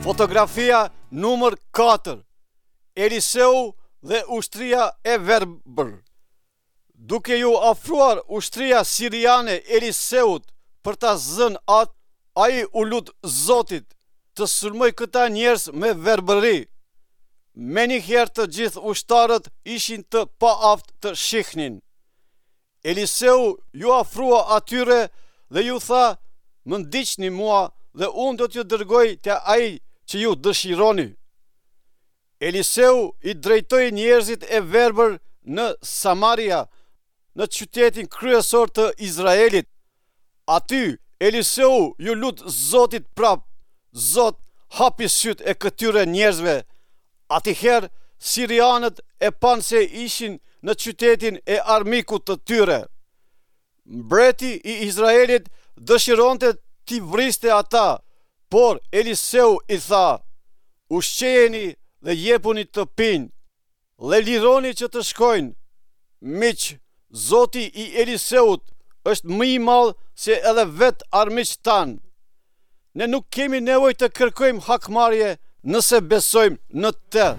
Fotografia numër 4 Eliseu dhe ushtria e verbër Duke iu afruar ushtria siriane Eliseut për ta zënë atë, ai u lut Zotit të sulmojë këta njerëz me verbëri. Menjëherë të gjithë ushtarët ishin të paaftë të shihnin. Eliseu iu afrua atyre dhe iu tha, Më ndiqni mua dhe unë do t'ju dërgoj te ai që ju dëshironi. Eliseu i drejtoi njerëzit e verbër në Samaria, në qytetin kryesor të Izraelit. Aty, Eliseu iu lut Zotit prapë, Zot, hapi sytë e këtyre njerëzve. Atëherë, sirianët e panë se ishin në qytetin e armikut të tyre. Mbreti i Izraelit dëshironte t'i vriste ata, por Eliseu i tha, Ushqejeni dhe jepuni të pinë, dhe lironi që të shkojnë. Miq, Zoti i Eliseut është më i madh se edhe vetë armiqtë tanë. Ne nuk kemi nevojë të kërkojmë hakmarrje nëse besojmë në të.